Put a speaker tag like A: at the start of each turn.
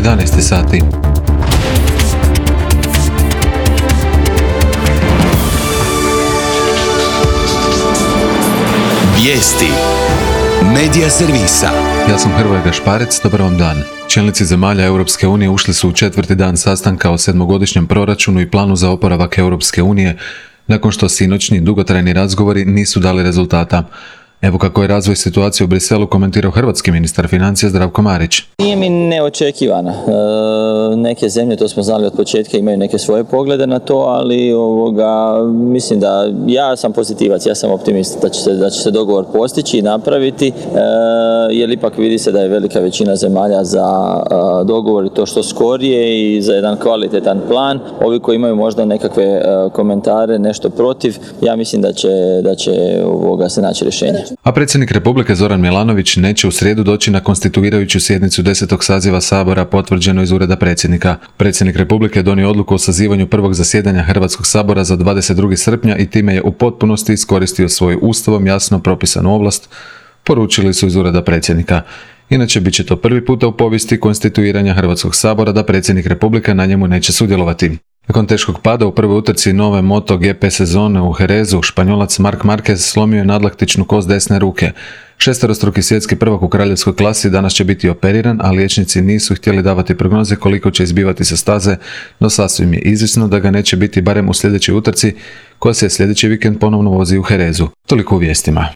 A: 11 sati.
B: Vijesti Medija servisa.
A: Ja sam Hrvoje Gašparec, dobar vam dan. Čelnici zemalja Europske unije ušli su u 4. dan sastanka o 7-godišnjem proračunu i planu za oporavak Europske unije, nakon što sinoćni dugotrajni razgovori nisu dali rezultata. Evo kako je razvoj situacije u Briselu komentirao hrvatski ministar financija Zdravko Marić.
C: Nije mi neočekivana. Neke zemlje, to smo znali od početka, imaju neke svoje poglede na to, ali mislim da ja sam pozitivac, ja sam optimist da će se dogovor postići i napraviti, jer ipak vidi se da je velika većina zemalja za dogovor i to što skorije i za jedan kvalitetan plan. Ovi koji imaju možda nekakve komentare, nešto protiv, ja mislim da će se naći rješenje.
A: A predsjednik Republike Zoran Milanović neće u srijedu doći na konstituirajuću sjednicu 10. saziva Sabora, potvrđeno iz ureda predsjednika. Predsjednik Republike je donio odluku o sazivanju prvog zasjedanja Hrvatskog sabora za 22. srpnja i time je u potpunosti iskoristio svoju ustavom jasno propisanu ovlast, poručili su iz ureda predsjednika. Inače, bit će to prvi puta u povijesti konstituiranja Hrvatskog sabora da predsjednik Republike na njemu neće sudjelovati. Nakon teškog pada u prvoj utrci nove MotoGP sezone u Jerezu, Španjolac Marc Marquez slomio je nadlaktičnu kost desne ruke. Šesterostruki svjetski prvak u kraljevskoj klasi danas će biti operiran, a liječnici nisu htjeli davati prognoze koliko će izbivati sa staze, no sasvim je izvjesno da ga neće biti barem u sljedećoj utrci, koja se sljedeći vikend ponovno vozi u Jerezu. Toliko u vijestima.